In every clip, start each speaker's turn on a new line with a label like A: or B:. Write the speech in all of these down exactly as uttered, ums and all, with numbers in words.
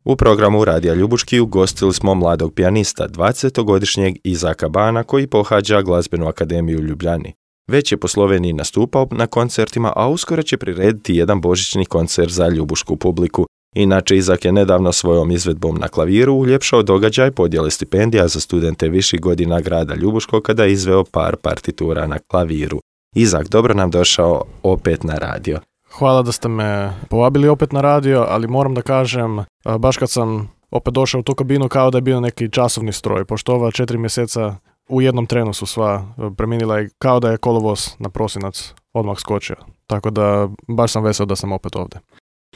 A: U programu Radija Ljubuški ugostili smo mladog pijanista, dvadesetogodišnjeg Izaka Bana, koji pohađa Glazbenu akademiju u Ljubljani. Već je po Sloveniji nastupao na koncertima, a uskoro će prirediti jedan božićni koncert za ljubušku publiku. Inače, Izak je nedavno svojom izvedbom na klaviru uljepšao događaj podjele stipendija za studente viših godina grada Ljubuškog kada je izveo par partitura na klaviru. Izak, dobro nam došao opet na radio.
B: Hvala da ste me povabili opet na radio, ali moram da kažem, baš kad sam opet došao u tu kabinu kao da je bio neki časovni stroj, pošto ova četiri mjeseca u jednom trenu su sva preminila i kao da je kolovoz na prosinac odmah skočio. Tako da baš sam vesel da sam opet ovdje.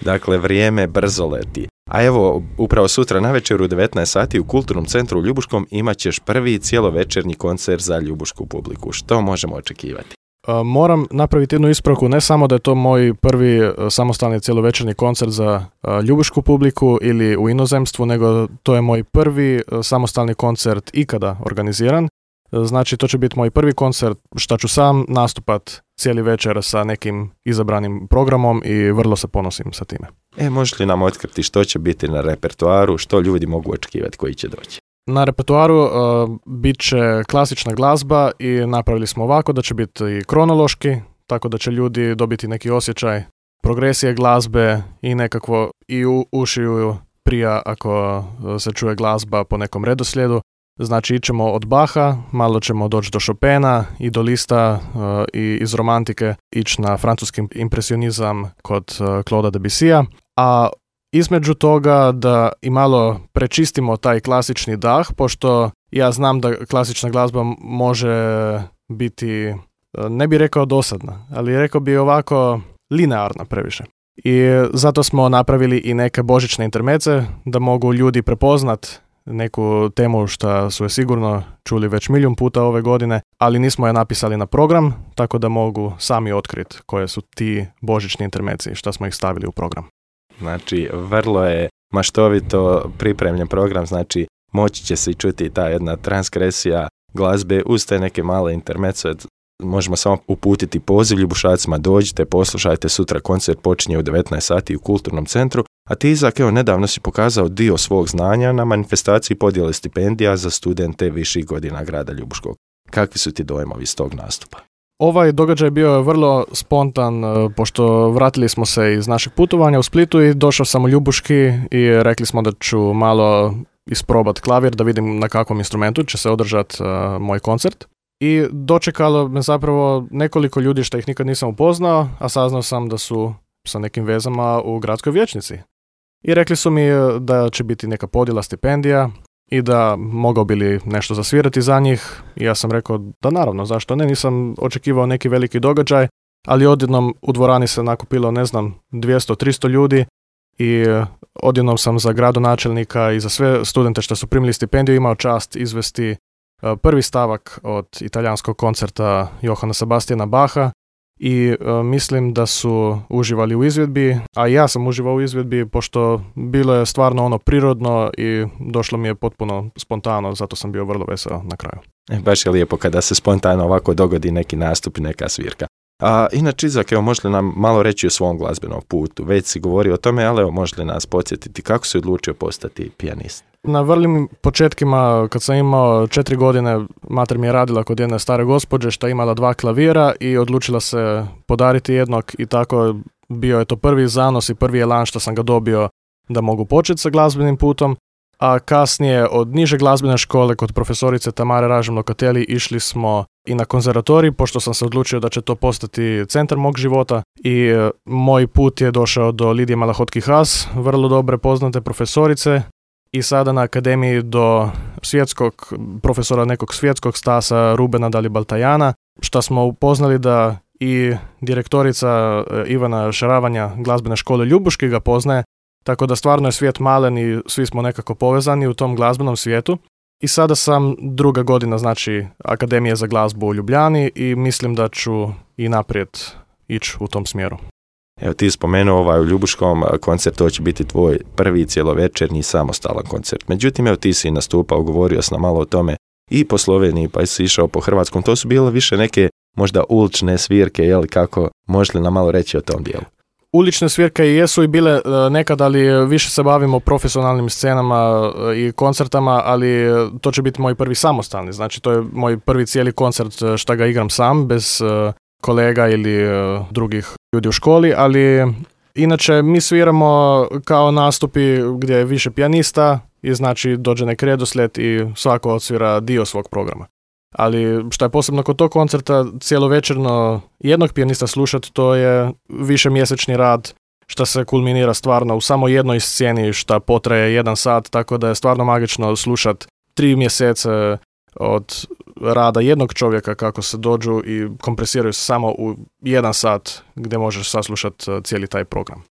A: Dakle, vrijeme brzo leti. A evo, upravo sutra navečer u devetnaest sati u Kulturnom centru u Ljubuškom imat ćeš prvi cijelovečernji koncert za ljubušku publiku. Što možemo očekivati?
B: Moram napraviti jednu ispravku, ne samo da je to moj prvi samostalni cijelovečernji koncert za ljubušku publiku ili u inozemstvu, nego to je moj prvi samostalni koncert ikada organiziran. Znači, to će biti moj prvi koncert što ću sam nastupat cijeli večer sa nekim izabranim programom i vrlo se ponosim sa time.
A: E, možeš li nam otkriti što će biti na repertoaru, što ljudi mogu očekivati koji će doći?
B: Na repertoaru uh, bit će klasična glazba i napravili smo ovako da će biti i kronološki, tako da će ljudi dobiti neki osjećaj progresije glazbe i nekakvo i u ušiju prija ako se čuje glazba po nekom redoslijedu. Znači, ićemo od Bacha, malo ćemo doći do Chopina i do Lista uh, i iz romantike ići na francuski impresionizam kod uh, Claude'a Debussya, a između toga da i malo prečistimo taj klasični dah, pošto ja znam da klasična glazba može biti, ne bi rekao dosadna, ali rekao bi ovako linearna previše. I zato smo napravili i neke božićne intermece da mogu ljudi prepoznat neku temu što su je sigurno čuli već milijun puta ove godine, ali nismo je napisali na program, tako da mogu sami otkriti koje su ti božićni intermeci, što smo ih stavili u program.
A: Znači, vrlo je maštovito pripremljen program, znači moći će se i čuti ta jedna transkresija glazbe uz te neke male intermece. Možemo samo uputiti poziv ljubušacima, dođite, poslušajte, sutra koncert počinje u devetnaest sati u Kulturnom centru, a ti, Izak, evo, nedavno si pokazao dio svog znanja na manifestaciji podjele stipendija za studente viših godina grada Ljubuškog. Kakvi su ti dojmovi iz tog nastupa?
B: Ovaj događaj bio je vrlo spontan, pošto vratili smo se iz našeg putovanja u Splitu i došao sam u Ljubuški i rekli smo da ću malo isprobat klavir, da vidim na kakvom instrumentu će se održati uh, moj koncert. I dočekalo me zapravo nekoliko ljudi što ih nikad nisam upoznao, a saznao sam da su sa nekim vezama u gradskoj vijećnici. I rekli su mi da će biti neka podjela stipendija i da mogao bi li nešto zasvirati za njih. I ja sam rekao da naravno, zašto ne, nisam očekivao neki veliki događaj, ali odjednom u dvorani se nakupilo, ne znam, dvjesto do tristo ljudi i odjednom sam za gradonačelnika i za sve studente što su primili stipendiju imao čast izvesti prvi stavak od italijanskog koncerta Johana Sebastiana Bacha i uh, mislim da su uživali u izvedbi, a ja sam uživao u izvedbi pošto bilo je stvarno ono prirodno i došlo mi je potpuno spontano, zato sam bio vrlo veseo na kraju.
A: E, baš je lijepo kada se spontano ovako dogodi neki nastup i neka svirka. A inače, Izak, evo, možeš li nam malo reći o svom glazbenom putu? Već si govorio o tome, ali evo, možeš li nas podsjetiti kako si odlučio postati pijanist?
B: Na vrlim početkima, kad sam imao četiri godine, mater mi je radila kod jedne stare gospođe što je imala dva klavira i odlučila se podariti jednog i tako bio je to prvi zanos i prvi elan što sam ga dobio da mogu početi sa glazbenim putom. A kasnije od niže glazbene škole kod profesorice Tamare Ražem-Lokateli išli smo i na konzervatorij, pošto sam se odlučio da će to postati centar mog života i e, moj put je došao do Lidije Malahotki-Has, vrlo dobre poznate profesorice i sada na akademiji do svjetskog profesora nekog svjetskog stasa Rubena Dalibaltajana, što smo upoznali da i direktorica e, Ivana Šaravanja glazbene škole Ljubuški ga poznaje. Tako da stvarno je svijet malen i svi smo nekako povezani u tom glazbenom svijetu. I sada sam druga godina, znači, Akademije za glazbu u Ljubljani i mislim da ću i naprijed ići u tom smjeru.
A: Evo, ti spomenuo ovaj u Ljubuškom koncert, to će biti tvoj prvi cjelovečernji samostalan koncert. Međutim, evo, ti si nastupao, govorio sam malo o tome i po Sloveniji, pa si išao po Hrvatskom. To su bile više neke možda ulične svirke, jel, kako, možeš li nam malo reći o tom dijelu?
B: Ulične svirke jesu i bile nekad, ali više se bavimo profesionalnim scenama i koncertama, ali to će biti moj prvi samostalni. Znači, to je moj prvi cijeli koncert šta ga igram sam, bez kolega ili drugih ljudi u školi, ali inače mi sviramo kao nastupi gdje je više pijanista i znači dođe nek redoslijed i svako odsvira dio svog programa. Ali što je posebno kod tog koncerta, cijelovečerno jednog pijanista slušati, to je više mjesečni rad što se kulminira stvarno u samo jednoj sceni što potraje jedan sat, tako da je stvarno magično slušati tri mjesece od rada jednog čovjeka kako se dođu i kompresiraju se samo u jedan sat gdje možeš saslušati cijeli taj program.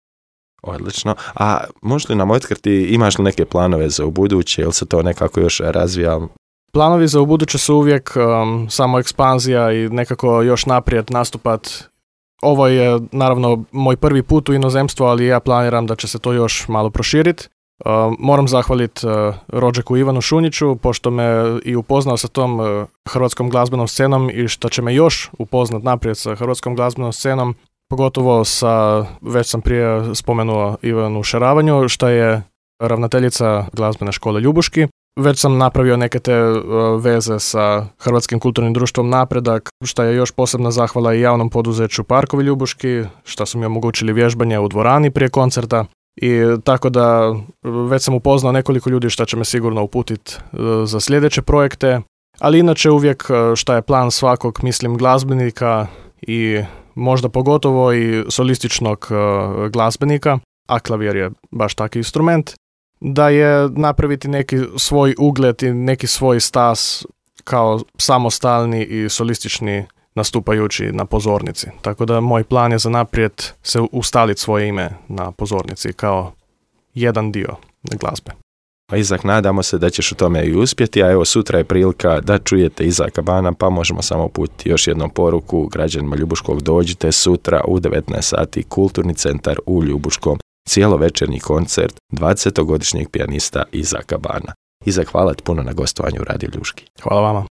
A: Odlično. A možeš li nam otkriti, imaš li neke planove za ubuduće ili se to nekako još razvija?
B: Planovi za ubuduće su uvijek um, samo ekspanzija i nekako još naprijed nastupat. Ovo je naravno moj prvi put u inozemstvu, ali ja planiram da će se to još malo proširiti. Uh, moram zahvaliti uh, rođaku Ivanu Šunjiću, pošto me i upoznao sa tom uh, hrvatskom glazbenom scenom i što će me još upoznat naprijed sa hrvatskom glazbenom scenom, pogotovo sa, već sam prije spomenuo Ivanu Šeravanju, što je ravnateljica glazbene škole Ljubuški. Već sam napravio neke te uh, veze sa Hrvatskim kulturnim društvom Napredak, što je još posebna zahvala i javnom poduzeću Parkovi Ljubuški, što su mi omogućili vježbanje u dvorani prije koncerta. I tako da već sam upoznao nekoliko ljudi što će me sigurno uputiti uh, za sljedeće projekte, ali inače uvijek uh, šta je plan svakog, mislim, glazbenika i možda pogotovo i solističnog uh, glazbenika, a klavir je baš taki instrument, da je napraviti neki svoj ugled i neki svoj stas kao samostalni i solistični nastupajući na pozornici. Tako da moj plan je za naprijed se ustaliti svoje ime na pozornici kao jedan dio glazbe.
A: Pa Izak, nadamo se da ćeš u tome i uspjeti, a evo sutra je prilika da čujete Izaka Bana, pa možemo samo uputiti još jednom poruku građanima Ljubuškog: dođite sutra u devetnaest sati, Kulturni centar u Ljubuškom, cijelovečernji koncert dvadesetogodišnjeg pijanista Izaka Bana. Izak, hvala ti puno na gostovanju u Radio Ljubuški.
B: Hvala vama.